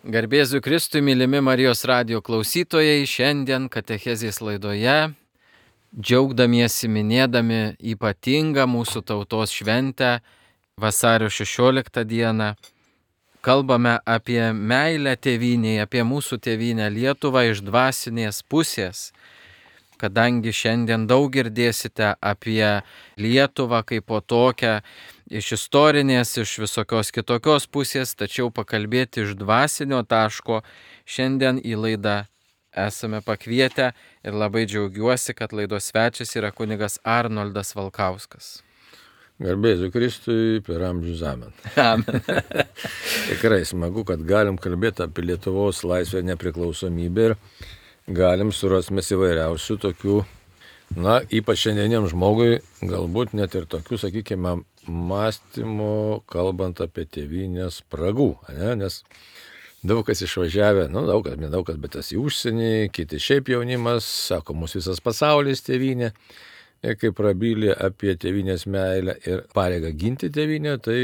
Garbėsiu Kristui, mylimi Marijos radijo klausytojai, šiandien katechezės laidoje, džiaugdamiesi minėdami ypatingą mūsų tautos šventę vasario 16 dieną, kalbame apie meilę tėvynėje, apie mūsų tėvynę Lietuvą iš dvasinės pusės, kadangi šiandien daug girdėsite apie Lietuvą kaip po tokią, iš istorinės, iš visokios kitokios pusės, tačiau pakalbėti iš dvasinio taško šiandien į laidą esame pakvietę ir labai džiaugiuosi, kad laidos svečias yra kunigas Arnoldas Valkauskas. Garbėsiu Kristui per amžius amen. Amen. Tikrai smagu, kad galim kalbėti apie Lietuvos laisvę ir nepriklausomybę ir galim surasime įvairiausių tokių, ypač šiandieniam žmogui, galbūt net ir tokių, sakykime, mąstymų, kalbant apie tėvynės spragų, nes daug kas išvažiavę, nedaug kas, bet tas į užsienį, kiti šiaip jaunimas, sako, mūsų visas pasaulis tėvynė, ir kai prabylė apie tėvynės meilę ir pareigą ginti tėvynę, tai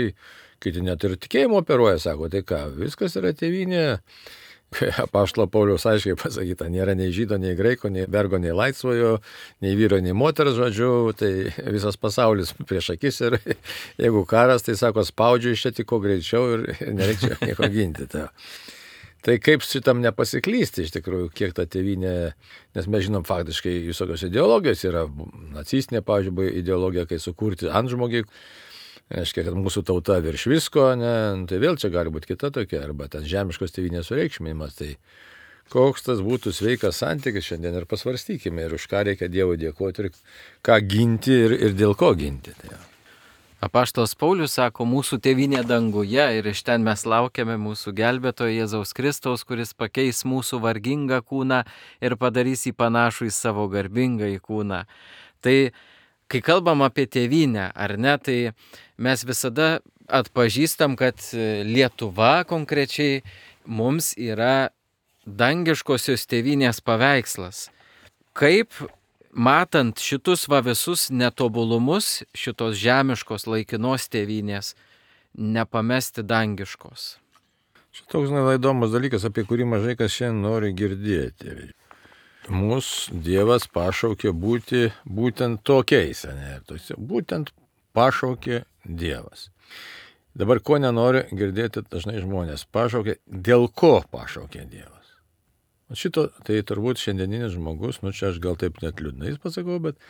kiti net ir tikėjimo operuoja, sako, tai ką, viskas yra tėvynė. Apaštalo Pauliaus aiškiai pasakyta, nėra nei žydo, nei graiko, nei vergo, nei laisvojo, nei vyro, nei moters, žodžiu, tai visas pasaulis prieš akis ir jeigu karas, tai sako, spaudžiu iš čia tik kuo greičiau ir nereikia nieko ginti. Tai kaip šitam nepasiklysti iš tikrųjų, kiek ta tėvynė, nes mes žinom faktiškai visokios ideologijos yra, nacistinė, pavyzdžiui, ideologija, kai sukurti antžmogį, reiškia, kad mūsų tauta virš visko, tai vėl čia gali būti kita tokia, arba ten žemiškos tėvynės sureikšminimas, tai koks tas būtų sveikas santykis šiandien ir pasvarstykime, ir už ką reikia Dievui dėkoti, ir ką ginti, ir dėl ko ginti. Apaštalas Paulius sako, mūsų tėvynė danguje ir iš ten mes laukiame mūsų gelbėtojo Jėzaus Kristaus, kuris pakeis mūsų vargingą kūną ir padarys jį panašų į savo garbingą kūną. Tai kai kalbam apie tėvynę, ar ne, tai mes visada atpažįstam, kad Lietuva konkrečiai mums yra dangiškosios tėvynės paveikslas. Kaip matant šitus visus netobulumus, šitos žemiškos laikinos tėvynės, nepamesti dangiškos? Šitoks įdomus dalykas, apie kurį mažai kas šiandien nori girdėti. Mūsų Dievas pašaukė būti būtent tokiais, būtent pašaukė Dievas. Dabar ko nenori girdėti dažnai žmonės, pašaukė, dėl ko pašaukė Dievas. Šito, tai turbūt šiandieninis žmogus, čia aš gal taip net liūdnais pasakau, bet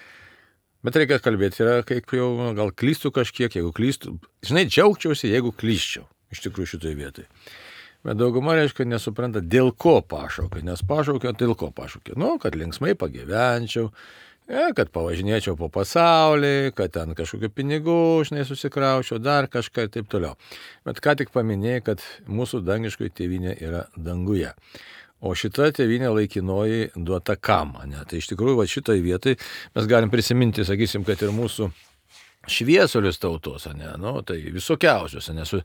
reikia kalbėti, yra kaip jau, gal klystų kažkiek, jeigu klystų, džiaugčiausi, jeigu klysčiau, iš tikrųjų šitoje vietoje. Bet dauguma, reiškia, nesupranta, dėl ko pašaukė, nes pašaukė, dėl ko pašaukė. Kad linksmai pagyvenčiau, kad pavažinėčiau po pasaulį, kad ten kažkokių pinigų, susikraučiau, dar kažką ir taip toliau. Bet ką tik paminėjai, kad mūsų dangiškoji tėvynė yra danguje. O šita tėvynė laikinoji duota kam, Tai iš tikrųjų, šitoj vietoj mes galim prisiminti, sakysim, kad ir mūsų šviesulius tautos, tai visokiausios, su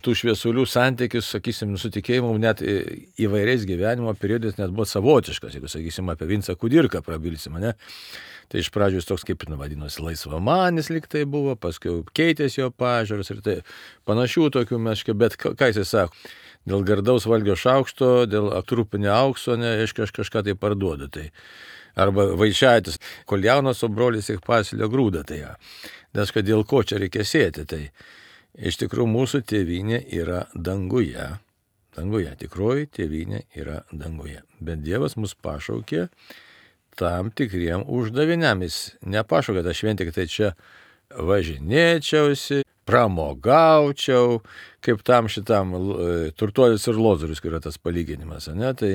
tų šviesulių santykis, sakysim, su tikėjimu net įvairiais gyvenimo periodais net buvo savotiškas, jeigu, sakysim, apie Vincą Kudirką prabilsim, Tai iš pradžių jis toks kaip vadinosi laisvamanis lyg tai buvo, paskui keitėsi jo pažiūros ir tai panašių tokių meškė, bet ką jis sako, dėl gardaus valgio šaukšto, dėl trupinio aukso, aš kažką tai parduodu, tai arba Vaičaitis, kol jaunas, o brolis tik pasilio grūdą, nes kad dėl ko čia reikia sėti, tai iš tikrųjų mūsų tėvynė yra danguje, tikroji tėvynė yra danguje, bet Dievas mus pašaukė tam tikriem uždaviniam, jis nepašaukė tą šventę, kad tai čia važinėčiausi, pramogaučiau, kaip tam šitam turtuolis ir lozorius, kur yra tas palyginimas, tai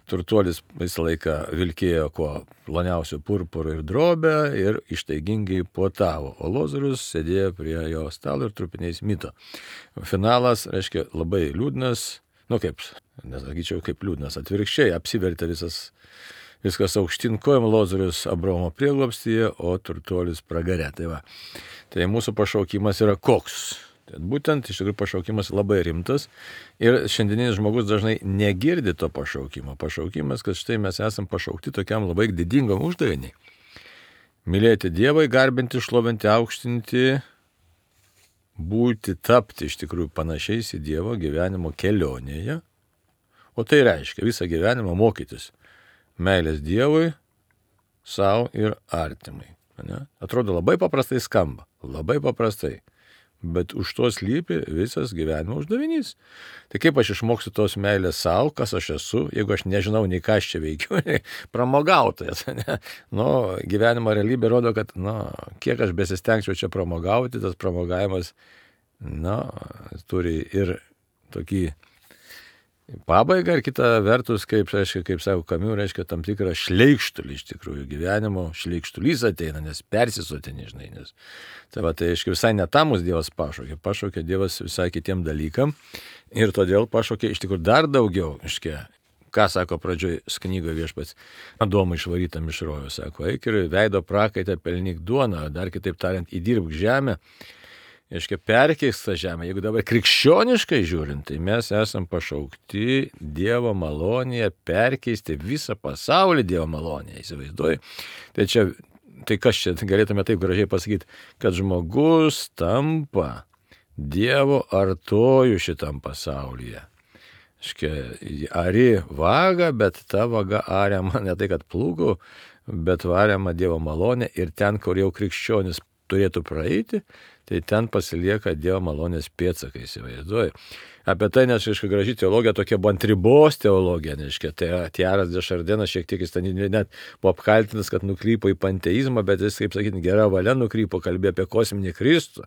turtuolis visą laiką vilkėjo kuo ploniausių purpurų ir drobę ir ištaigingai puotavo, o lozorius sėdėjo prie jo stalo ir trupiniais mito. Finalas, reiškia, labai liūdnas, nesakyčiau kaip liūdnas, atvirkščiai apsivertė viskas aukštyn kojom, lozorius Abraomo prieglobstyje, o turtuolis pragare. Tai mūsų pašaukimas yra koks? Būtent iš tikrųjų pašaukimas labai rimtas ir šiandieninis žmogus dažnai negirdi to pašaukimo. Pašaukimas, kad štai mes esam pašaukti tokiam labai didingam uždaviniui. Mylėti Dievą, garbinti, šlovinti, aukštinti, tapti iš tikrųjų panašiais į Dievo gyvenimo kelionėje, O tai reiškia visą gyvenimą mokytis meilės Dievui, savo ir artimai. Ne? Atrodo labai paprastai skamba, labai paprastai. Bet už to slypi visas gyvenimo uždavinys. Tai kaip aš išmoksiu tos meilės savo, kas aš esu, jeigu aš nežinau nei ką aš čia veikiu, pramogautojas. Ne? Nu, gyvenimo realybė rodo, kad kiek aš besistengčiau čia pramogauti, tas pramogavimas turi ir tokį pabaigą ir kita vertus, kaip sako Kamiu, reiškia tam tikrą šleikštulį iš tikrųjų. Gyvenimo šleikštulys ateina, nes persisotini, žinai. Tai aiškiai visai ne tam mūsų Dievas pašaukė. Pašaukė Dievas visai kitiem dalykam ir todėl pašaukė iš tikrųjų dar daugiau. Aiškiai, ką sako pradžioj knygoje Viešpats Adomui išvarytam iš rojaus. Sako, eik ir veido prakaitą pelnyk duoną, dar kitaip tariant, įdirbk žemę. Aiškia, perkeis tą žemę. Jeigu dabar krikščioniškai žiūrint, tai mes esam pašaukti Dievo malonėje perkeisti visą pasaulį Dievo malonėje, įsivaizduoji. Tai kas čia galėtume taip gražiai pasakyti, kad žmogus tampa Dievo artojų šitam pasaulyje. Aiškia, ari vaga, bet ta vaga ariama ne tai, kad plūgų, bet variama Dievo malonė ir ten, kur jau krikščionis turėtų praeiti, tai ten pasilieka Dievo malonės pėdsakai, įsivaizduoji. Apie tai, nes, aišku, graži teologija tokia buvo ant ribos teologija, aišku, tai Tiaras de Šardenas šiek tiek jis ten net buvo apkaltintas, kad nukrypo į panteizmą, bet jis, kaip sakyti, gera valia nukrypo, kalbėjo apie kosminį Kristų.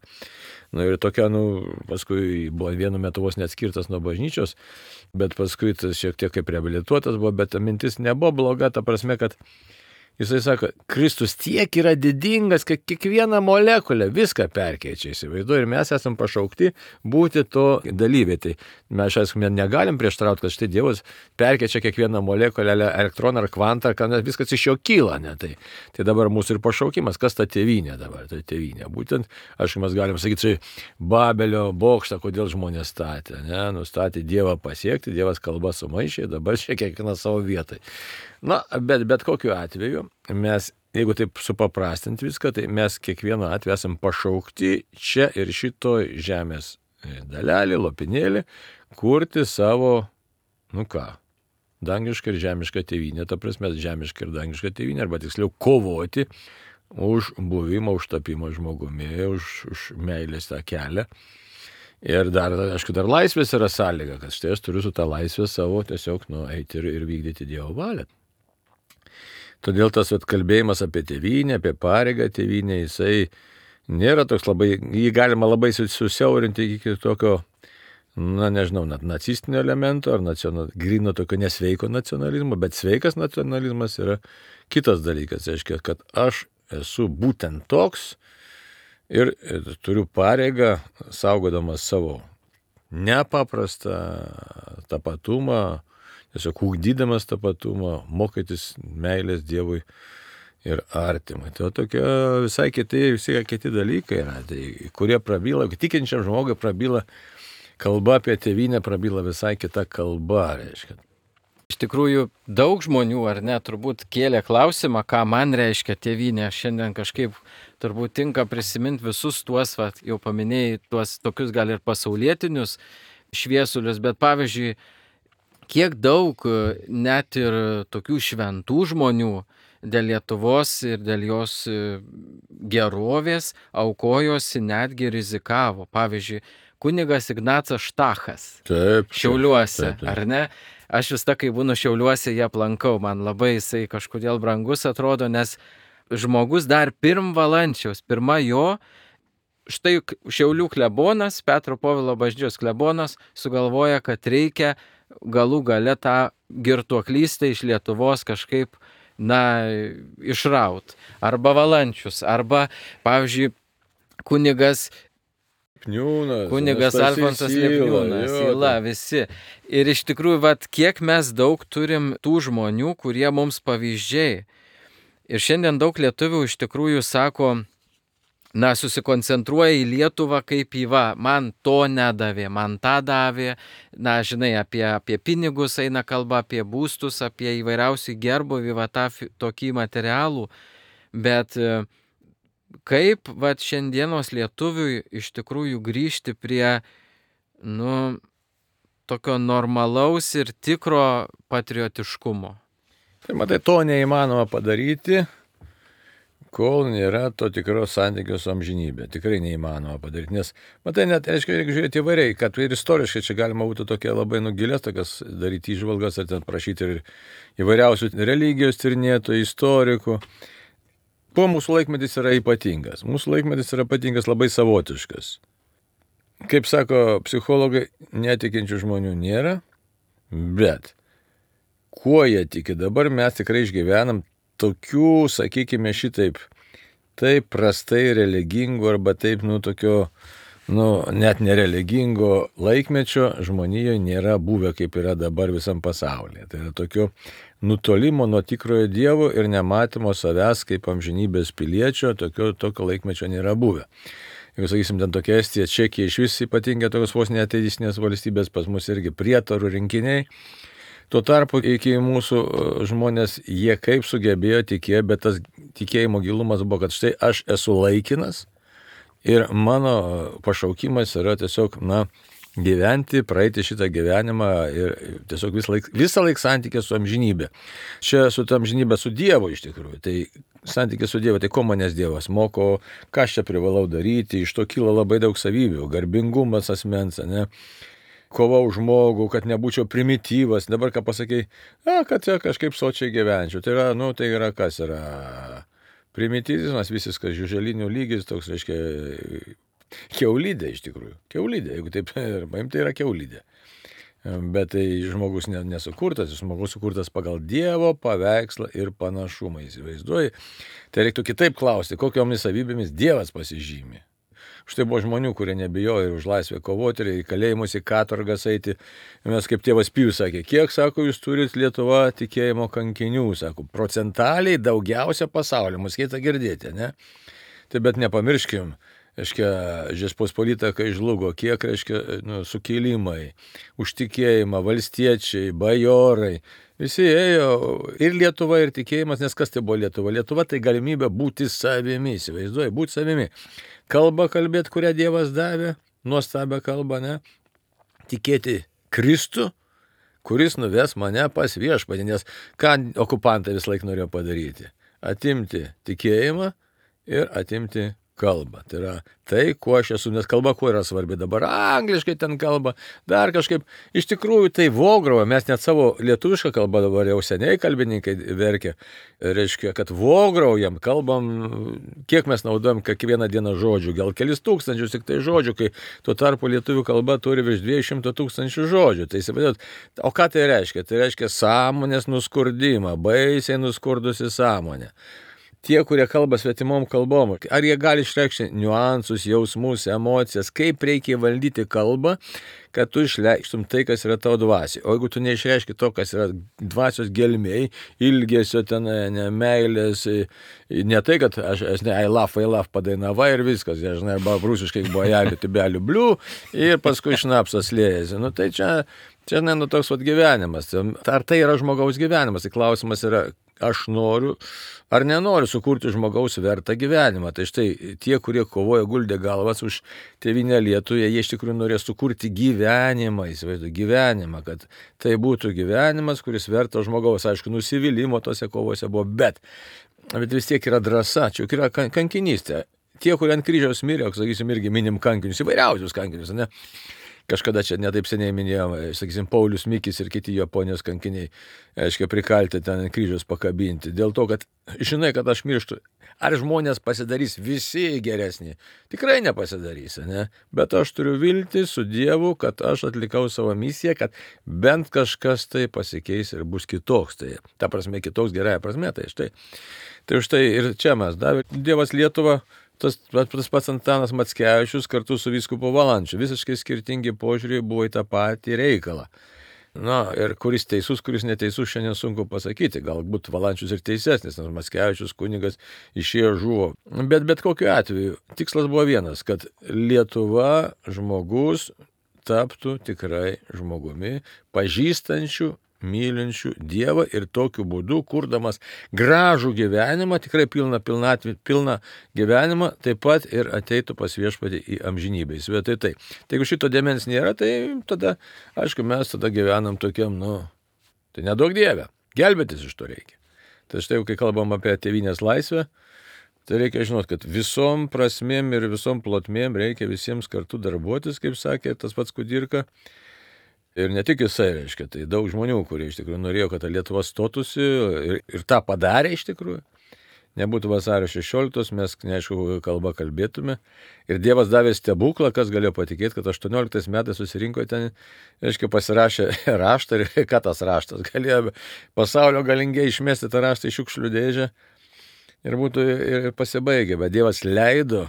Ir tokia, paskui buvo vienu metu vos neatskirtas nuo bažnyčios, bet paskui tas šiek tiek kaip reabilituotas buvo, bet ta mintis nebuvo bloga, ta prasme, kad jisai sako, Kristus tiek yra didingas, kad kiekvieną molekulę viską perkeičia, įsivaizduoju, ir mes esam pašaukti būti to dalyviai. Tai mes, aišku, negalim prieštarauti, kad štai Dievas perkeičia kiekvieną molekulę, elektroną ar kvantą, kad viskas iš jo kyla. Ne? Tai dabar mūsų ir pašaukimas, kas ta tėvynė dabar, tai tėvynė. Būtent, aišku, mes galim sakyti, čia Babelio bokštą, kodėl žmonės statė. Ne? Nustatė Dievą pasiekti, Dievas kalba sumaišė, dabar čia kiekvieną savo vietai. Bet kokiu atveju mes, jeigu taip supaprastinti viską, tai mes kiekvienu atveju esam pašaukti čia ir šitoj žemės dalelį, lopinėlį, kurti savo, dangišką ir žemišką tėvynę, ta prasme, žemišką ir dangišką tėvynę, arba tiksliau kovoti už buvimą, už tapimą žmogumi, už meilės tą kelią. Ir dar, aišku, dar laisvės yra sąlyga, kad štai aš turiu su tą laisvę savo tiesiog eiti ir vykdyti Dievo valią. Todėl tas kalbėjimas apie tėvynę, apie pareigą tėvynę, jisai nėra toks labai, jį galima labai susiaurinti iki tokio, net nacistinio elemento ar grino tokio nesveiko nacionalizmo, bet sveikas nacionalizmas yra kitas dalykas, reiškia, kad aš esu būtent toks ir turiu pareigą, saugodamas savo nepaprastą tapatumą, tiesiog ugdydamas tapatumą, mokytis meilės Dievui ir artimui. Tai tokie visai kiti dalykai yra, kurie prabyla, tikinčiam žmogui prabyla kalba apie tėvynę, prabyla visai kita kalba, reiškia. Iš tikrųjų, daug žmonių, ar ne, turbūt kėlė klausimą, ką man reiškia tėvynė. Šiandien kažkaip turbūt tinka prisiminti visus tuos, jau paminėjai, tuos tokius gal ir pasaulietinius šviesulius, bet pavyzdžiui, kiek daug net ir tokių šventų žmonių dėl Lietuvos ir dėl jos gerovės aukojosi, netgi rizikavo. Pavyzdžiui, kunigas Ignacas Štachas. Taip, Šiauliuose, taip. ar ne? Aš vis kai būnu Šiauliuose, jie aplankau. Man labai jisai kažkodėl brangus atrodo, nes žmogus dar Valančiaus, pirma jo, štai Šiaulių klebonas, Petro Povilo bažnyčios klebonas, sugalvoja, kad reikia galų gale tą girtuoklystę iš Lietuvos kažkaip, išraut. Arba Valančius, arba, pavyzdžiui, kunigas Alfonsas Lipniūnas, Yla, visi. Ir iš tikrųjų, kiek mes daug turim tų žmonių, kurie mums pavyzdžiai. Ir šiandien daug lietuvių iš tikrųjų sako, susikoncentruoja į Lietuvą kaip į man to nedavė, man tą davė, žinai, apie pinigus eina kalba, apie būstus, apie įvairiausių gerbuvį, tokį materialų, bet kaip šiandienos lietuviui iš tikrųjų grįžti prie, tokio normalaus ir tikro patriotiškumo. Tai matai, to neįmanoma padaryti, kol nėra to tikros santykio su amžinybė. Tikrai neįmanoma padaryti, nes, matai, net, reiškia, reikia žiūrėti įvairiai, kad ir istoriškai čia galima būtų tokia labai nugilės, tokias daryti įžvalgas, ar ten prašyti ir įvairiausių religijos tyrinėtojų, istorikų. Kuo mūsų laikmetis yra ypatingas? Mūsų laikmetis yra ypatingas labai savotiškas. Kaip sako psichologai, netikinčių žmonių nėra, bet kuo jie tiki? Dabar mes tikrai išgyvenam tokių, sakykime, šitaip, taip prastai religingų arba taip, tokio, net nereligingo laikmečio žmonijoje nėra buvę, kaip yra dabar visam pasaulyje. Tai yra tokio nutolimo nuo tikrojo Dievo ir nematymo savęs kaip amžinybės piliečio, tokio laikmečio nėra buvę. Jeigu, sakysim, ten tokia Estija, Čekija, iš vis ypatingai tokios vos neateistinės valstybės, pas mus irgi prietarų rinkiniai. Tuo tarpu iki mūsų žmonės, jie kaip sugebėjo tikėjo, bet tas tikėjimo gilumas buvo, kad štai aš esu laikinas ir mano pašaukimas yra tiesiog, gyventi, praeiti šitą gyvenimą ir tiesiog visą laiką santykė su amžinybė. Čia su ta amžinybė su Dievu iš tikrųjų. Tai santykė su Dievu, tai ko manęs Dievas moko, ką aš čia privalau daryti, iš to kyla labai daug savybių, garbingumas asmens, kova už žmogų, kad nebūčiau primityvas, dabar ką pasakai, kad čia kažkaip sočiai gyvenčiau. Tai yra, tai yra kas yra primityvizmas, visiškas žiuželinių lygis, toks, reiškia, kiaulidė iš tikrųjų. Kiaulidė, jeigu taip paimti, tai yra kiaulidė. Bet tai žmogus nesukurtas, žmogus sukurtas pagal Dievo paveikslą ir panašumą, įsivaizduoji. Tai reiktų kitaip klausti, kokiomis savybėmis Dievas pasižymi. Štai buvo žmonių, kurie nebijojo ir už laisvę kovoti, ir į kalėjimus, į katorgas eiti. Mes kaip tėvas Pijus sakė, kiek, sako, jūs turit Lietuva tikėjimo kankinių, sako, procentaliai daugiausia pasaulyje, mus keita girdėti, ne? Tai bet nepamirškim, reiškia, Žečpospolita, kai žlugo, kiek, reiškia, sukilimai, už tikėjimą, valstiečiai, bajorai, visi ėjo ir Lietuva, ir tikėjimas, nes kas tai buvo Lietuva? Lietuva tai galimybė būti savimi, įsivaizduoji, būti savimi. Kalbą kalbėti, kurią Dievas davė, nuostabią kalbą, ne? Tikėti Kristų, kuris nuves mane pas viešpatį, nes ką okupantai vis laik norėjo padaryti? Atimti tikėjimą ir atimti kalbą. Tai yra tai, kuo aš esu, nes kalba kuo yra svarbi dabar. Angliškai ten kalba, dar kažkaip. Iš tikrųjų tai vograuja, mes net savo lietuvišką kalbą dabar jau seniai kalbininkai verkia. Reiškia, kad vograujam, kalbam, kiek mes naudojam kiekvieną dieną žodžių, gal kelis tūkstančius tik tai žodžių, kai tuo tarpu lietuvių kalba turi virš 200 000 žodžių. Tai įsivaizduot, o ką tai reiškia? Tai reiškia sąmonės nuskurdimą, baisiai nuskurdusi sąmonę. Tie, kurie kalba svetimom kalbom, ar jie gali išreikšti niuansus, jausmus, emocijas, kaip reikia valdyti kalbą, kad tu išreikštum tai, kas yra tavo dvasiai. O jeigu tu neišreiški to, kas yra dvasios gelmėj, ilgesio ten, meilės, ne tai, kad aš I love padainava ir viskas, žinai, arba rusiškai bojelių, tibelių blių ir paskui šnapsas liejasi. Tai čia toks gyvenimas. Ar tai yra žmogaus gyvenimas? Tai klausimas yra, aš noriu ar nenoriu sukurti žmogaus vertą gyvenimą. Tai štai tie, kurie kovoja guldė galvas už tėvynę Lietuvą, jie iš tikrųjų norės sukurti gyvenimą, įsivaizduoju, gyvenimą, kad tai būtų gyvenimas, kuris verta žmogaus, aišku, nusivylimo tose kovose buvo, bet vis tiek yra drąsa, čia yra kankinystė. Tie, kurie ant kryžiaus mirė, sakysim, irgi minim kankinius, įvairiausius kankinius, ne? Kažkada čia netaip seniai minėjom, sakysim, Paulius Mikis ir kiti Japonijos kankiniai, aiškiai, prikalti ten kryžius pakabinti. Dėl to, kad žinai, kad aš mirštu. Ar žmonės pasidarys visi geresni? Tikrai nepasidarys, ne? Bet aš turiu viltį su Dievu, kad aš atlikau savo misiją, kad bent kažkas tai pasikeis ir bus kitoks. Tai ta prasme, kitoks gerąja prasme, tai štai. Tai štai ir čia mes davė Dievas Lietuvą. Tas pats Antanas Mackevičius kartu su vyskupu Valančiu. Visiškai skirtingi požiūriai buvo į tą patį reikalą. Ir kuris teisus, kuris neteisus, šiandien sunku pasakyti. Galbūt Valančius ir teisesnis, nes Mackevičius kunigas išėjo žuvo. Bet kokiu atveju tikslas buvo vienas, kad Lietuva žmogus taptų tikrai žmogumi, pažįstančių mylinčių Dievą ir tokiu būdu, kurdamas gražų gyvenimą, tikrai pilną gyvenimą, taip pat ir ateitų pas Viešpatį į amžinybę. Įsivaizduojate tai. Tai jeigu šito dėmens nėra, tai tada, aišku, mes tada gyvenam tokiam, tai nedaug Dieve. Gelbėtis iš to reikia. Tai štai, kai kalbam apie tėvynės laisvę, tai reikia žinot, kad visom prasmėm ir visom plotmėm reikia visiems kartu darbuotis, kaip sakė tas pats Kudirka. Ir ne tik jisai, reiškia, tai daug žmonių, kurie iš tikrųjų norėjo, kad ta Lietuva stotųsi ir tą padarė iš tikrųjų. Nebūtų vasario 16, mes, neaišku, kalbą kalbėtume. Ir Dievas davė stebuklą, kas galėjo patikėti, kad 18 metais susirinko ten, reiškia, pasirašė raštą ir ką tas raštas galėjo pasaulio galingiai išmesti tą raštą į šiukšlių dėžę. Ir būtų ir pasibaigę, bet Dievas leido,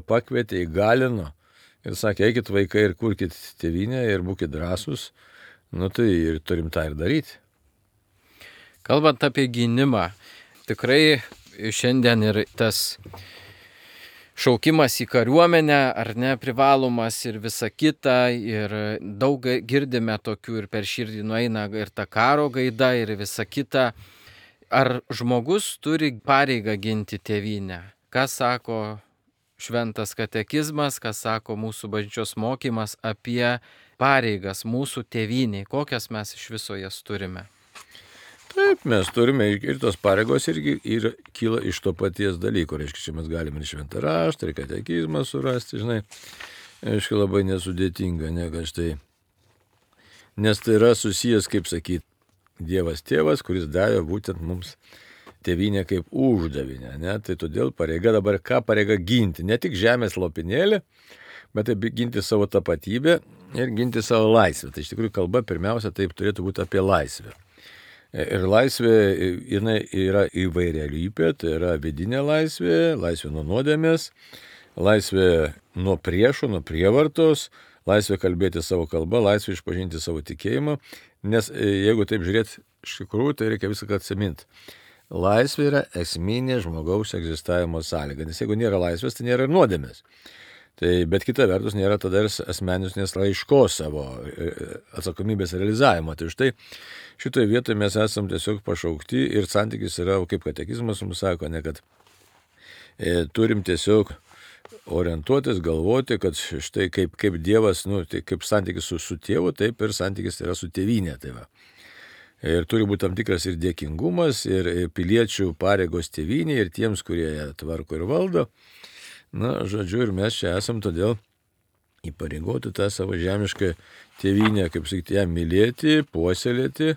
pakvietė, įgalino ir sakė, eikit vaikai ir kurkit tėvynę ir būkit drąsūs, tai ir turim tą ir daryti. Kalbant apie gynimą, tikrai šiandien ir tas šaukimas į kariuomenę, ar ne, privalomas ir visa kita, ir daug girdime tokių ir per širdį nueina ir ta karo gaida ir visa kita. Ar žmogus turi pareigą ginti tėvynę? Ką sako šventas katekizmas, ką sako mūsų bažnyčios mokymas apie pareigas mūsų tėvyniai? Kokias mes iš viso jas turime? Taip, mes turime ir tos pareigos irgi kyla iš to paties dalyko. Reiškia, čia mes galime ir šventą raštą, ir katekizmą surasti, žinai. Aišku, labai nesudėtinga, kad štai. Nes tai yra susijęs, kaip sakyti, Dievas tėvas, kuris davė būtent mums tėvynę kaip uždavinę. Tai todėl pareiga dabar pareiga ginti. Ne tik žemės lopinėlį, bet taip ginti savo tapatybę ir ginti savo laisvę. Tai iš tikrųjų kalba pirmiausia taip turėtų būti apie laisvę. Ir laisvė jinai yra įvairialypė, tai yra vidinė laisvė nuo nuodėmės, laisvė nuo priešų, nuo prievartos, laisvė kalbėti savo kalbą, laisvė išpažinti savo tikėjimą. Nes jeigu taip žiūrėti iš tikrųjų, tai reikia viską atsiminti. Laisvė yra esminė žmogaus egzistavimo sąlyga, nes jeigu nėra laisvės, tai nėra ir nuodėmės. Bet kita vertus nėra tada ir asmeninės raiškos savo atsakomybės realizavimo. Tai štai šitoje vietoje mes esam tiesiog pašaukti ir santykis yra, kaip katekizmas mums sako, kad turim tiesiog orientuotis, galvoti, kad štai kaip Dievas, tai kaip santykis su tėvu, taip ir santykis yra su tėvynė. Tai va. Ir turi būti tam tikras ir dėkingumas, ir piliečių pareigos tėvynė, ir tiems, kurie ją tvarko ir valdo. Žodžiu, ir mes čia esam todėl įpareigoti tą savo žemišką tėvynę, kaip sakyti, ją mylėti, puoselėti,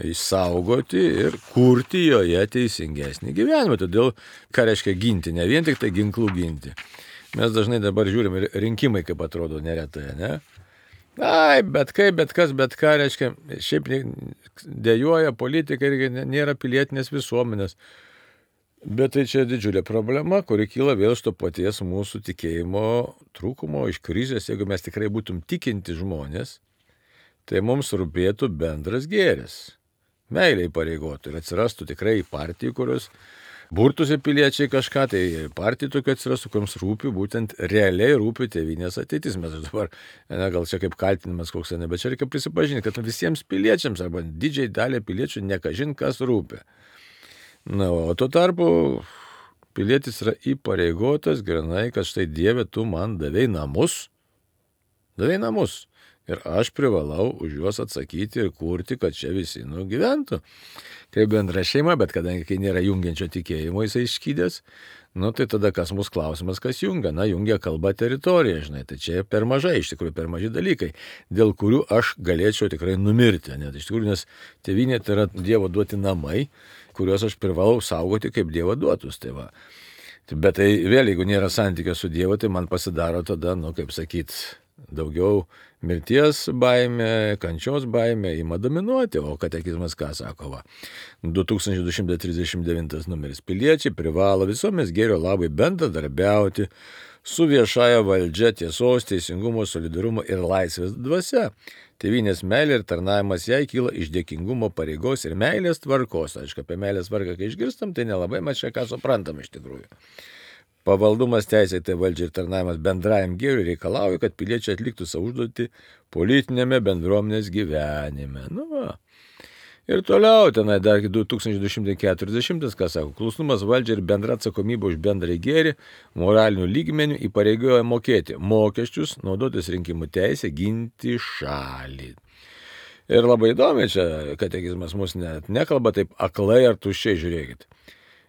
išsaugoti ir kurti joje teisingesnį gyvenimą. Todėl, ką reiškia ginti, ne vien tik tai ginklų ginti. Mes dažnai dabar žiūrim ir rinkimai, kaip atrodo neretai, ne? Bet ką reiškia, šiaip dejuoja politika ir nėra pilietinės visuomenės. Bet tai čia didžiulė problema, kuri kyla vėl iš to paties mūsų tikėjimo trūkumo, iš krizės. Jeigu mes tikrai būtum tikinti žmonės, tai mums rūpėtų bendras gėris. Meilė įpareigotų ir atsirastų tikrai partijų, kurios burtųsi piliečiai kažką, tai partijų tokių atsirastų, kuriams rūpi, būtent realiai rūpi tėvynės ateitis. Mes dabar, gal čia kaip kaltinimas koks, bet čia reikia prisipažinti, kad visiems piliečiams arba didžiai daliai piliečių nekažin kas rūpi. O tuo tarpu pilietis yra įpareigotas grinai, kad štai Dieve, tu man davei namus. Ir aš privalau už juos atsakyti ir kurti, kad čia visi gyventų. Kaip bendra šeima, bet kadangi kai nėra jungiančio tikėjimo jisai išskydęs, tai tada kas mūsų klausimas, kas jungia? Jungia kalba teritorija, žinai. Tai čia per mažai, iš tikrųjų per maži dalykai, dėl kurių aš galėčiau tikrai numirti. Iš tikrųjų, nes tėvynė tai yra Dievo duoti namai, kuriuos aš privalau saugoti kaip Dievo duotus. Tai va. Bet tai vėl, jeigu nėra santykio su Dievu, tai man pasidaro tada, kaip sakyt, daugiau mirties baimė, kančios baimė ima dominuoti, o katekizmas ką sako? 2239 numeris. Piliečiai privalo visuomenės gėrio labai bendradarbiauti su viešąja valdžia tiesos, teisingumo, solidarumo ir laisvės dvasia. Tėvynės meilė ir tarnavimas jai kyla iš dėkingumo pareigos ir meilės tvarkos. Aišku, apie meilės tvarką, kai išgirstam, tai nelabai mes čia ką suprantam iš tikrųjų. Pavaldumas teisėtai valdžiai ir tarnavimas bendrajam gėriui reikalauja, kad piliečiai atliktų savo užduotį politinėme bendruomenės gyvenime. Nu va. Ir toliau tenai dar 2240, ką sako, klusnumas valdžiai ir bendra atsakomybė už bendrąjį gėrį moralinių lygmenių įpareigoja mokėti mokesčius, naudotis rinkimų teisę, ginti šalį. Ir labai įdomi čia, katekizmas mus net nekalba taip aklai ar tuščiai, žiūrėkit.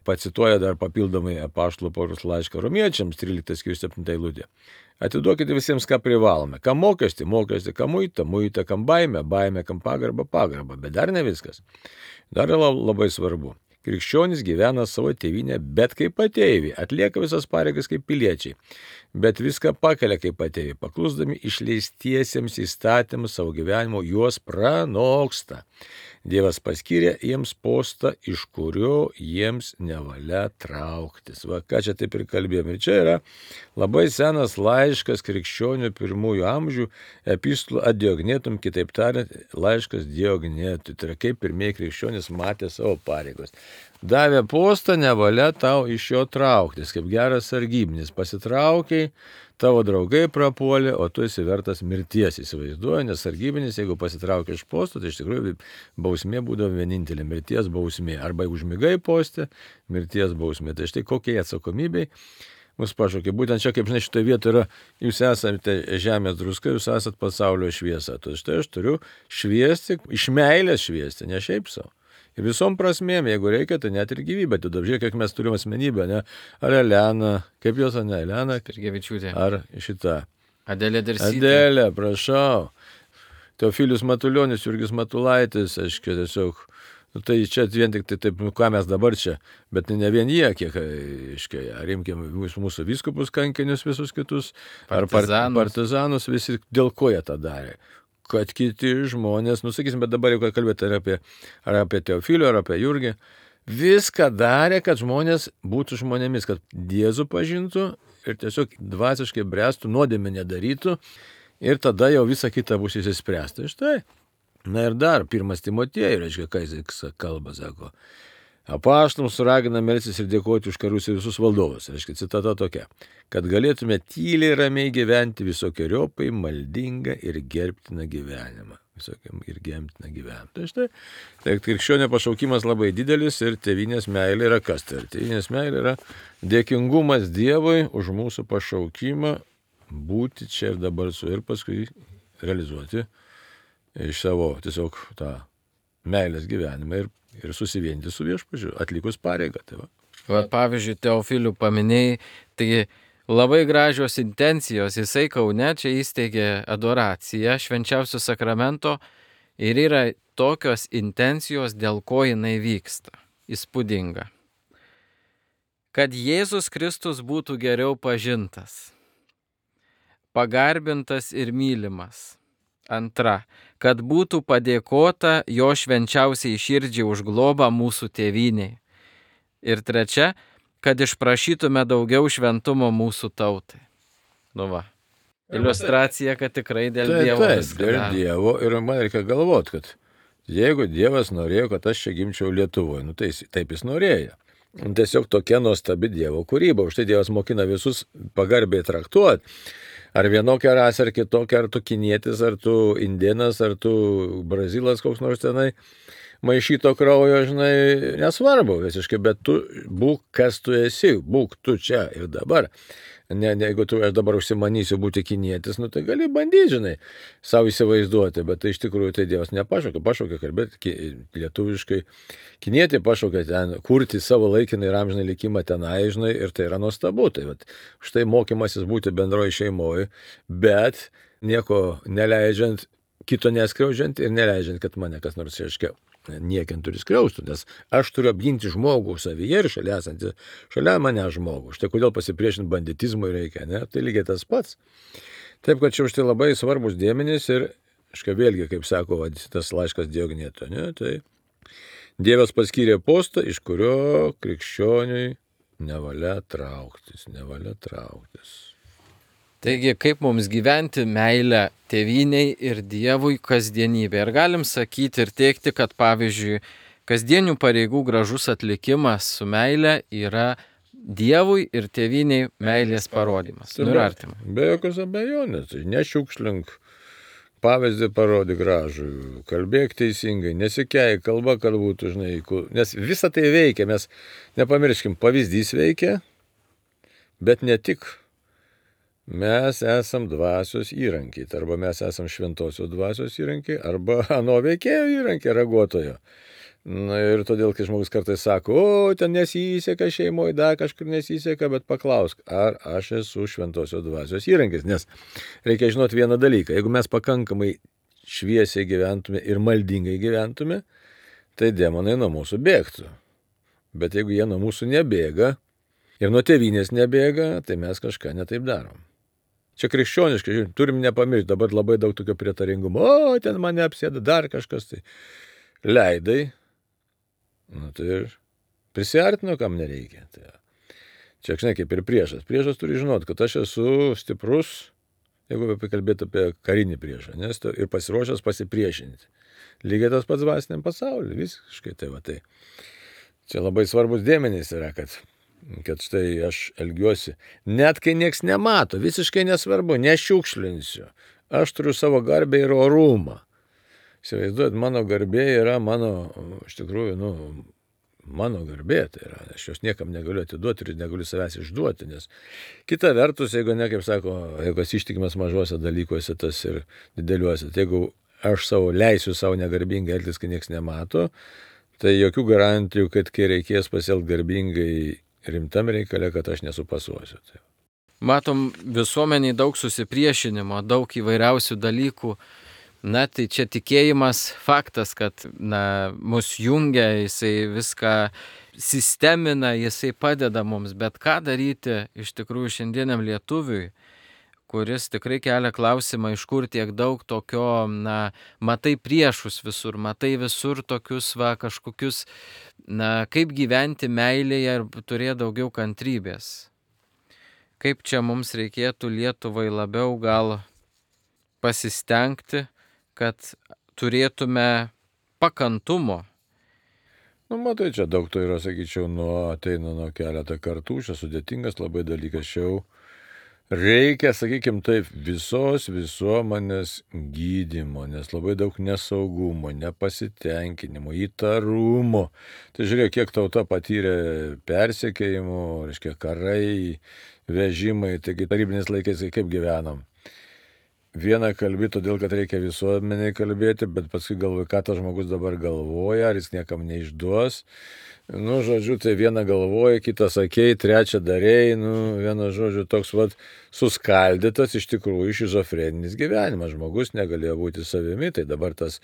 Pacituoja dar papildomai apaštalų Pauliaus laišką Romiečiams 13 skyrius 7 eilutė. Atiduokite visiems, ką privalome. Kam mokestį, kam muitą, kam baimę, kam pagarbą, bet dar ne viskas. Dar labai svarbu. Krikščionys gyvena savo tėvynę, bet kaip ateiviai, atlieka visas pareigas kaip piliečiai, bet viską pakelia kaip ateiviai, paklusdami išleistiesiems įstatymus savo gyvenimo, juos pranoksta. Dievas paskyrė jiems postą, iš kurio jiems nevalia trauktis. Va, ką čia taip ir kalbėjome. Ir čia yra labai senas laiškas krikščionių pirmųjų amžių, epistulų ad Diognetum, kitaip tariant, laiškas Diognetui. Tai yra kaip pirmieji krikščionys matė savo pareigos. Davė postą, nevalia tau iš jo trauktis, kaip geras sargybinis. Pasitraukiai, tavo draugai prapuolė, o tu esi vertas mirties, įsivaizduoju, nes sargybinis, jeigu pasitraukia iš posto, tai iš tikrųjų bausmė būdavo vienintelė, mirties bausmė. Arba užmigai poste, mirties bausmė. Tai štai kokie atsakomybei mus pašaukė. Būtent čia, kaip žinai, šitoje vietoje yra, jūs esate žemės druska, jūs esate pasaulio šviesa. Tai štai aš turiu šviesti, iš meilės šviesti, ne šiaip savo. Ir visom prasmėm, jeigu reikia, tai net ir gyvybę. Tu žiūrėk, kiek mes turime asmenybę, ne? Ar Elena, kaip jos, ne Elena? Kirgevičiūtė. Ar šita? Adelė Darsytė. Adelė, prašau. Teofilius Matulionis, Jurgis Matulaitis, aiškiai, tiesiog. Nu, tai čia vien tik tai taip, ką mes dabar čia, bet ne vien jie, kiek, aiškiai, ar imkime mūsų vyskupus kankinius visus kitus, ar partizanus, visi, dėl ko jie tą darė. Kad kiti žmonės, sakysim, bet dabar jau kalbėti ar apie Teofilių, ar apie Jurgį, viską darė, kad žmonės būtų žmonėmis, kad Jėzų pažintų ir tiesiog dvasiškai bręstų, nuodėmę nedarytų ir tada jau visa kita bus įsispręsta. Štai. Na ir dar, 1 Timotiejui, reiškia, ką jis kalba, sako. Apaštalams ragina melstis ir dėkoti už karus ir visus valdovus. Reiškia, citata tokia. Kad galėtume tyliai ramiai gyventi visokiojopai maldingą ir gerbtiną gyvenimą. Tai štai, tai krikščionio pašaukimas labai didelis ir tėvynės meilė yra kas? Tai tėvynės meilė yra dėkingumas Dievui už mūsų pašaukimą būti čia ir dabar su ir paskui realizuoti iš savo tiesiog tą meilės gyvenimą ir susivienyti su viešpačiu, atlikus pareigą. Tai va, pavyzdžiui, Teofilių paminėjai, tai labai gražios intencijos. Jisai Kaune čia įsteigė adoraciją švenčiausio sakramento ir yra tokios intencijos, dėl ko jinai vyksta. Įspūdinga. Kad Jėzus Kristus būtų geriau pažintas, pagarbintas ir mylimas. Antra, kad būtų padėkota jo švenčiausiai širdžiai už globą mūsų tėvynei. Ir trečia, kad išprašytume daugiau šventumo mūsų tautai. Nu va, iliustracija, kad tikrai dėl Dievo. Taip, dėl Dievo ir man reikia galvoti, kad jeigu Dievas norėjo, kad aš čia gimčiau Lietuvoje, tai taip jis norėjo. Tiesiog tokia nuostabi Dievo kūryba, už tai Dievas mokina visus pagarbiai traktuoti. Ar vienokia rasė, ar kitokia, ar tu kinietis, ar tu indėnas, ar tu brazilas koks nors tenai, maišyto kraujo, žinai, nesvarbu visiškai, bet tu būk, kas tu esi, būk tu čia ir dabar. Jeigu aš dabar užsimanysiu būti kinietis, tai gali bandyti, žinai, savo įsivaizduoti, bet tai iš tikrųjų tai Dievas pašaukė kalbėti lietuviškai. Kinietė pašaukė ten kurti savo laikiną ir amžinai likimą tenai, žinai, ir tai yra nuostabu. Tai štai mokymasis būti bendroje šeimoje, bet nieko neleidžiant, kito neskriaudžiant ir neleidžiant, kad mane kas nors reiškia niekiant turi skriaustų, nes aš turiu apginti žmogų savyje ir šalia mane žmogų. Štai kodėl pasipriešinti banditizmui reikia, ne? Tai lygiai tas pats. Taip, kad čia už tai labai svarbus dėmenys ir, vėlgi, kaip sako, tas laiškas Diogneto, ne? Tai Dievas paskyrė postą, iš kurio krikščioniui nevalia trauktis. Taigi, kaip mums gyventi meilę tėvynei ir Dievui kasdienybė. Ir galim sakyti ir teikti, kad pavyzdžiui, kasdienių pareigų gražus atlikimas su meile yra Dievui ir tėviniai meilės parodymas. Nu ir artimai. Be jokios abejonės, tai nešiukšlink, pavyzdį parodyk gražų, kalbėk teisingai, nesikeik, kalba, kad būtų, žinai, nes visa tai veikia, mes nepamirškim, pavyzdys veikia, bet ne tik. Mes esam dvasios įrankiai, arba mes esam šventosios dvasios įrankiai, arba ano veikėjo įrankiai, raguotojo. Na ir todėl, kai žmogus kartais sako, o, ten nesiseka šeimoje, dar kažkur nesiseka, bet paklausk, ar aš esu šventosios dvasios įrankis, nes reikia žinoti vieną dalyką, jeigu mes pakankamai šviesiai gyventume ir maldingai gyventume, tai demonai nuo mūsų bėgtų. Bet jeigu jie nuo mūsų nebėga ir nuo tėvynės nebėga, tai mes kažką netaip darom. Čia krikščioniškai, žiūrėjom, turim nepamiršti, dabar labai daug tokio prietaringumo, o, ten mane apsėda dar kažkas, tai leidai, nu tai ir prisiartino, kam nereikia. Tai, čia, žinai, kaip ir priešas. Priešas turi žinoti, kad aš esu stiprus, jeigu pakalbėti apie karinį priešą, nes ir pasiruošęs pasipriešinti. Lygiai tas pats dvasiniam pasauliu, visiškai tai va tai. Čia labai svarbus dėmenys yra, kad štai aš elgiuosi, net kai nieks nemato, visiškai nesvarbu, nešiukšlinsiu. Aš turiu savo garbę ir orumą. Įsivaizduojat, mano garbė yra iš tikrųjų, mano garbė, tai yra, aš jos niekam negaliu atiduoti ir negaliu savęs išduoti, nes kita vertus, jeigu ne, kaip sako, jeigu esi ištikimas mažuose dalykuose, tas ir dideliuose, tai jeigu aš leisiu savo negarbingai elgtis, kai nieks nemato, tai jokių garantijų, kad kai reikės pasielgti garbingai rimtam reikale, kad aš nesupasuosiu. Matom visuomeniai daug susipriešinimo, daug įvairiausių dalykų. Na, tai čia tikėjimas faktas, kad mus jungia, jisai viską sistemina, jisai padeda mums. Bet ką daryti iš tikrųjų šiandieniam lietuviui, kuris tikrai kelia klausimą, iš kur tiek daug tokio, matai priešus visur, matai visur tokius kažkokius, kaip gyventi meilėje ir turėti daugiau kantrybės. Kaip čia mums reikėtų Lietuvai labiau gal pasistengti, kad turėtume pakantumo. Matai, čia daug to yra, sakyčiau, ateina nuo keletą kartų, čia sudėtingas labai dalykas, čia reikia, sakykim taip, visos visuomenės gydymo, nes labai daug nesaugumo, nepasitenkinimo, įtarumo. Tai žiūrėk, kiek tauta patyrė persekiojimų, reiškia karai, vežimai, taigi tarybiniais laikais kaip gyvenam. Vieną kalbi, todėl kad reikia visuomeniai kalbėti, bet paskui galvoju, ką tas žmogus dabar galvoja, ar jis niekam neišduos. Žodžiu, tai vieną galvoja, kitą sakei, trečią darėjai, vienas žodžiu toks suskaldytas iš tikrųjų šizofreninis gyvenimas. Žmogus negalėjo būti savimi, tai dabar tas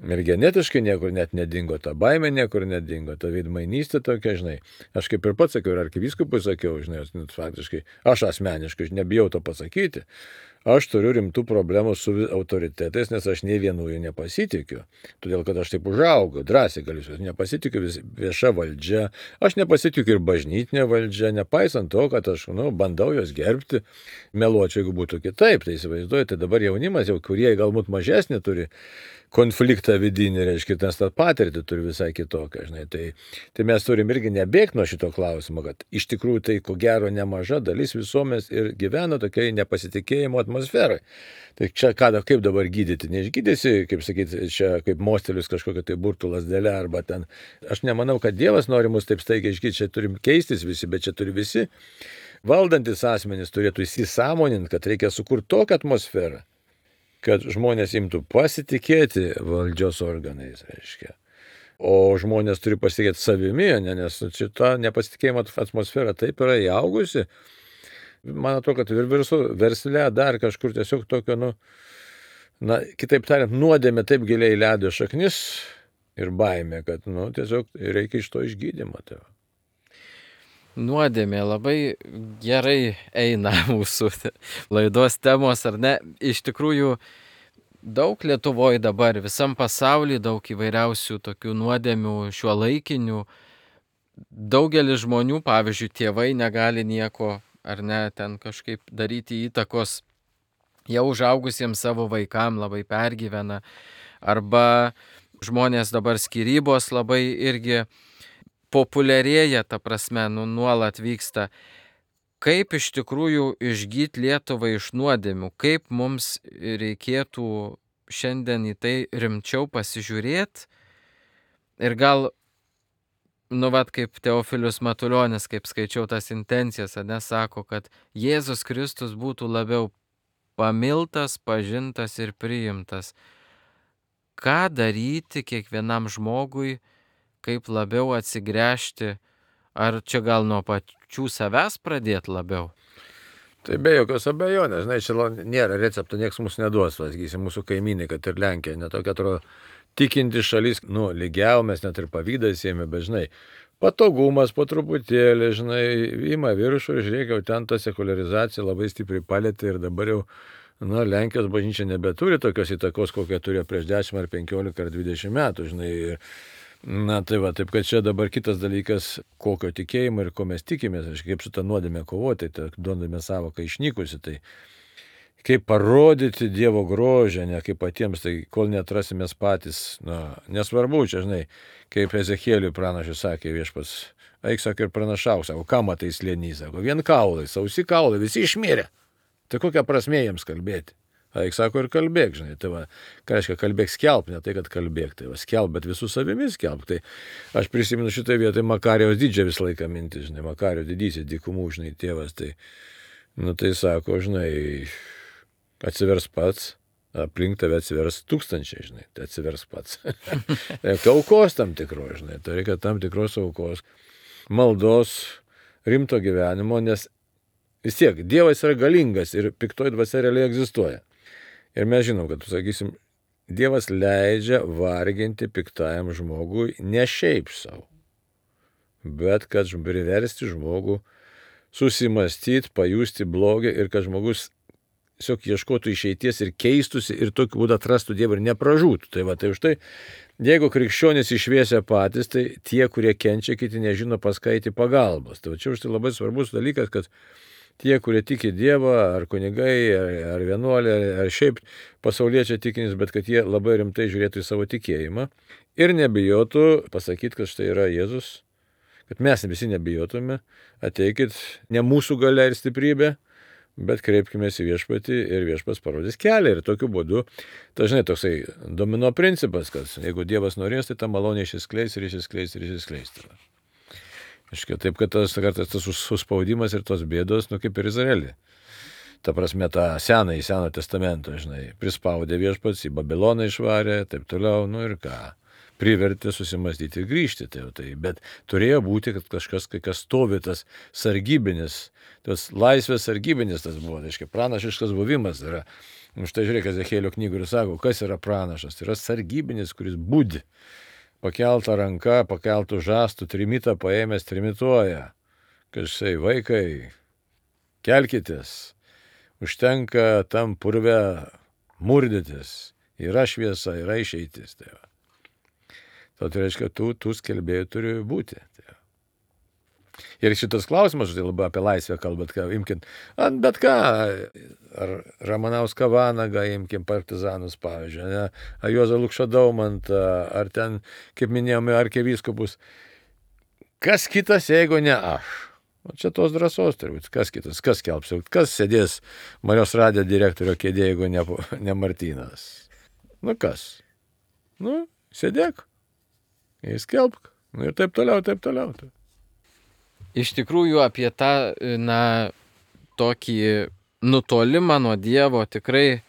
ir genetiškai niekur net nedingo, ta baimė niekur nedingo, ta veidmainystė tokia, žinai. Aš kaip ir pats sakiau, ir arkivyskupui sakiau, žinai, faktiškai, aš asmeniškai nebijau to pasakyti. Aš turiu rimtų problemų su autoritetais, nes aš nei vienu jų nepasitikiu. Todėl, kad aš taip užaugau, drąsiai galiu, nepasitikiu vieša valdžia, aš nepasitikiu ir bažnytinė valdžia, nepaisant to, kad aš bandau jos gerbti, meluočiau, jeigu būtų kitaip. Tai įsivaizduoju, tai dabar jaunimas, jau kurie galbūt mažesnį turi konfliktą vidinį, reiškia, nes tą patirtį turi visai kitokią, žinai. Tai mes turim irgi nebėgti nuo šito klausimo, kad iš tikrųjų tai ko gero nemaža dalis visuomenės ir gyvena tokiai nepasitikėjimo atmosferai. Tai čia kaip dabar gydyti? Neišgydysi, kaip sakyti, čia kaip mostelius kažkokia tai burtų lasdelė arba ten. Aš nemanau, kad Dievas nori mus taip staigiai išgydyti, čia turim keistis visi, bet čia turi visi valdantis asmenys turėtų įsisąmoninti, kad reikia sukurti tokią atmosferą, kad žmonės imtų pasitikėti valdžios organais, reiškia. O žmonės turi pasitikėti savimi, nes šita nepasitikėjimo atmosfera taip yra įaugusi. Man atrodo, kad ir versle dar kažkur tiesiog tokio, kitaip tariant, nuodėmė taip giliai leido šaknis ir baimė, kad, tiesiog reikia iš to išgydymo. Nuodėmė labai gerai eina mūsų laidos temos, ar ne? Iš tikrųjų, daug Lietuvoje dabar, visam pasaulyje daug įvairiausių tokių nuodėmių šiuolaikinių. Daugelis žmonių, pavyzdžiui, tėvai negali nieko, ar ne, ten kažkaip daryti įtakos jau užaugusiems savo vaikam, labai pergyvena. Arba žmonės dabar skyrybos labai irgi populiarėja, ta prasme, nuolat vyksta. Kaip iš tikrųjų išgyti Lietuvą iš nuodėmių, kaip mums reikėtų šiandien į tai rimčiau pasižiūrėti ir gal, kaip Teofilius Matulionis, kaip skaičiau tas intencijas, sako, kad Jėzus Kristus būtų labiau pamiltas, pažintas ir priimtas. Ką daryti kiekvienam žmogui, kaip labiau atsigręžti, ar čia gal nuo pačių savęs pradėti labiau? Tai be jokios abejonės, čia nėra recepto, nieks mūsų neduos, sakysim, mūsų kaimynai, kad ir Lenkija, netokia atrodo tikinti šalis, lygiau mes net ir pavydą siejame, bet patogumas po truputėlį, ima viršų ir žiūrėk, jau ten ta sekularizacija labai stipriai palėtė ir dabar jau, Lenkijos bažnyčia nebeturi tokios įtakos, kokią turėjo prieš 10 ar 15 ar 20 metų, taip kad čia dabar kitas dalykas, kokio tikėjimo ir ko mes tikimės, kaip su tą nuodėmę kovoti, tai duodame savoką išnykusi, tai kaip parodyti Dievo grožę, ne kaip patiems, tai kol neatrasimės patys, nesvarbu, čia, kaip Ezechieliui pranašas sakė viešpats, eik, sako, ir pranašauk, sako, ką matai slėny, sako, vien kaulai, sausi kaulai, visi išmirė, tai kokia prasmė jiems kalbėti? Eik, sako, ir kalbėk, tai ką reiškia kalbėk, skelb, ne tai, kad kalbėk, tai skelb, bet visų savimi skelb, tai aš prisimenu šitą vietą Makarijaus didžią visą laiką mintį, Makarijaus didysis dykumų, tėvas, tai sako, atsivers pats, aplink tave atsivers tūkstančiai, tai atsivers pats. Aukos tam tikros, tai reikia tam tikros aukos, maldos, rimto gyvenimo, nes vis tiek Dievas yra galingas ir piktoji dvasia realiai egzistuoja. Ir mes žinom, kad, sakysim, Dievas leidžia varginti piktajam žmogui ne šiaip savo, bet kad priversti žmogų susimastyti, pajusti blogį ir kad žmogus tiesiog ieškotų išeities ir keistųsi ir tokiu būdu atrastų Dievą ir nepražūtų. Tai už tai, jeigu krikščionys išviesia patys, tai tie, kurie kenčia, kiti nežino pas ką eiti pagalbos. Tai čia už tai labai svarbus dalykas, kad tie, kurie tiki Dievą, ar kunigai, ar vienuoliai, ar šiaip pasauliečiai tikinys, bet kad jie labai rimtai žiūrėtų į savo tikėjimą ir nebijotų pasakyti, kad štai yra Jėzus, kad mes visi nebijotume, ateikit ne mūsų galia ir stiprybė, bet kreipkimės į viešpatį ir viešpats parodys kelią. Ir tokiu būdu, dažnai toksai domino principas, kad jeigu Dievas norės, tai ta malonė išsiskleis ir išsiskleis ir išsiskleis. Taip, kad kartais tas suspaudimas ir tos bėdos, kaip ir Izraelį. Ta prasme, tą Seno testamento, prispaudė viešpats, į Babiloną išvarė, taip toliau, ir ką. Privertė susimastyti ir grįžti. Bet turėjo būti, kad kažkas, kas stovi tas sargybinis, tas laisvės sargybinis tas buvo, pranašiškas buvimas yra. Štai žiūrėk, Ezechielio knygų ir sako, kas yra pranašas. Tai yra sargybinis, kuris budi. Pakeltą ranką, pakeltų žastų, trimitą paėmęs trimituoja. Kažkai, vaikai, kelkitės, užtenka tam purve murdytis, yra šviesa, yra išeitis. Tai reiškia, tų skelbėjų turi būti. Ir šitas klausimas, labai apie laisvę kalbat, imkim, bet ką, ar Ramanauską Vanagą, imkim partizanus, pavyzdžiui, ar Juozą Lukšą Daumantą, ar ten, kaip minėjome, arkivyskupus. Kas kitas, jeigu ne aš? Čia tos drąsos turbūt, kas kitas, kas skelbs, kas sėdės Marijos radijo direktorio kėdė, jeigu ne Martynas? Kas? Sėdėk, įskelbk, ir taip toliau, taip toliau. Iš tikrųjų apie tą, tokį nutolimą nuo Dievo tikrai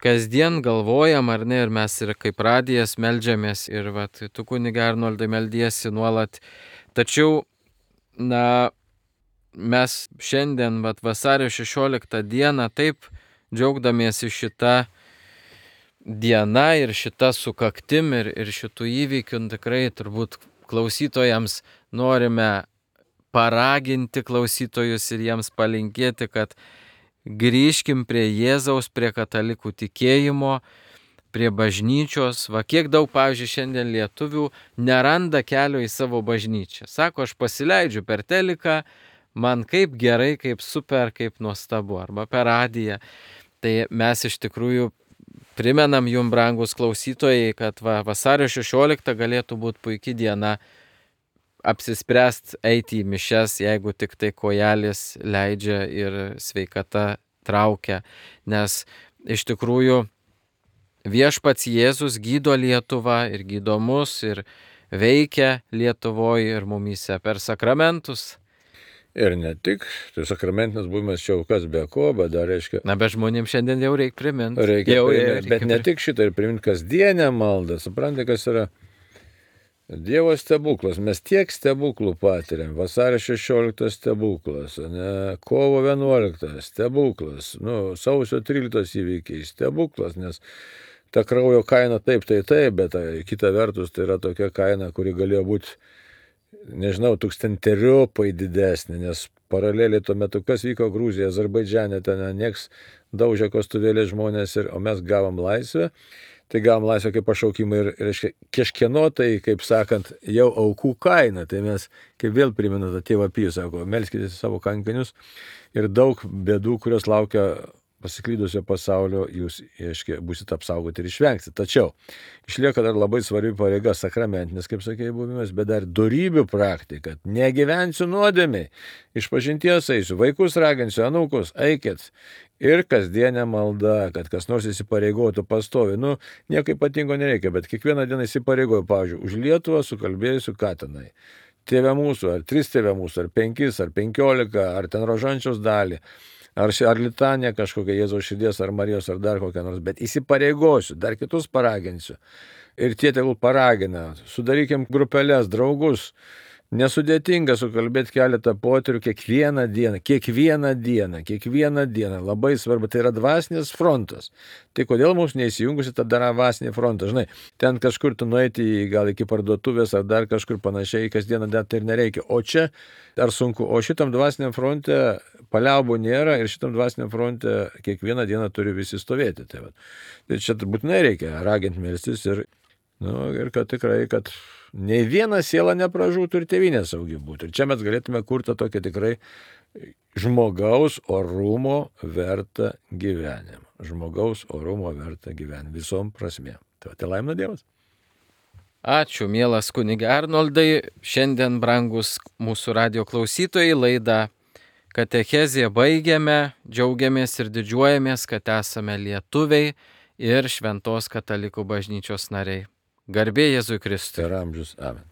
kasdien galvojam, ar ne, ir mes ir kaip radijas meldžiamės, ir tu kuniga Arnoldai meldiesi nuolat. Tačiau, mes šiandien, vasario 16 dieną, taip džiaugdamiesi šitą dieną ir šitą sukaktim ir šitų įvykių, tikrai turbūt klausytojams norime paraginti klausytojus ir jiems palinkėti, kad grįžkim prie Jėzaus, prie katalikų tikėjimo, prie bažnyčios. Kiek daug, pavyzdžiui, šiandien lietuvių neranda kelio į savo bažnyčią. Sako, aš pasileidžiu per teliką, man kaip gerai, kaip super, kaip nuostabu, arba per radiją. Tai mes iš tikrųjų primenam jum, brangus klausytojai, kad vasario 16 galėtų būti puikia diena apsispręst eiti į mišias, jeigu tik tai kojelės leidžia ir sveikata traukia. Nes iš tikrųjų viešpats Jėzus gydo Lietuvą ir gydo mus ir veikia Lietuvoje ir mumyse per sakramentus. Ir ne tik, tai sakramentinis buvimas čia kas be ko, bet dar reiškia... Na, bet žmonėms šiandien jau reikia priminti. Bet ne tik šitą ir priminti kasdienę maldą. Suprantate, kas yra Dievo stebuklas. Mes tiek stebuklų patiriam. Vasario 16 stebuklas, kovo 11 stebuklas, sausio 13 įvykiai stebuklas, nes ta kraujo kaina taip, bet kita vertus tai yra tokia kaina, kuri galėjo būti, nežinau, tūkstanteriopai didesnė, nes paraleliai tuo metu, kas vyko Gruzija, Azerbaidžane, ten nieks daužė kastuvėlį žmonės, o mes gavom laisvę. Tai gavom laisvę kaip pašaukimą ir, reiškia, kažkieno tai, kaip sakant, jau aukų kaina. Tai mes, kaip vėl primenu tą tėvą Pijų, sako, melskitės savo kankinius ir daug bėdų, kurios laukia pasiklydusio pasaulio, jūs, reiškia, būsit apsaugoti ir išvengti. Tačiau išlieka dar labai svarbi pareiga sakramentinis, kaip sakėjai, buvimas, bet dar dorybių praktika. Negyvensiu nuodėmiai, išpažinties eisiu, vaikus raginsiu, anūkus, eikit. Ir kasdienė malda, kad kas nors įsipareigotų pastovi. Nieko ypatingo nereikia, bet kiekvieną dieną įsipareigoju, pavyzdžiui, už Lietuvą sukalbėjusiu ką tenai. Tėve mūsų, ar 3 tėve mūsų, ar 5, ar 15, ar ten rožančiaus dalį, ar litanė kažkokia Jėzaus širdies, ar Marijos, ar dar kokią nors, bet įsipareigosiu, dar kitus paraginsiu. Ir tie tegul paragina, sudarykim grupelės, draugus. Nesudėtinga sukalbėti keletą poterių kiekvieną dieną, labai svarbu, tai yra dvasinis frontas. Tai kodėl mums neįsijungusi tą dvasinį frontą, žinai, ten kažkur tu nueiti gal iki parduotuvės ar dar kažkur panašiai, kasdieną dar tai ir nereikia, o čia ar sunku, o šitam dvasiniam fronte paliaubų nėra ir šitam dvasiniam fronte kiekvieną dieną turi visi stovėti. Tai čia būtinai reikia raginti melstis ir kad tikrai, kad nei viena siela nepražūtų ir tėvynė saugi būtų. Ir čia mes galėtume kurti tokią tikrai žmogaus orumo vertą gyvenimą. Žmogaus orumo vertą gyvenimą visom prasmėm. Tai laimina Dievas. Ačiū, mielas kunige Arnoldai. Šiandien, brangus mūsų radio klausytojai, laidą Katechezė baigiame. Džiaugiamės ir didžiuojamės, kad esame lietuviai ir Šventos katalikų bažnyčios nariai. Garbė Jėzui Kristui. Per amžius. Amen.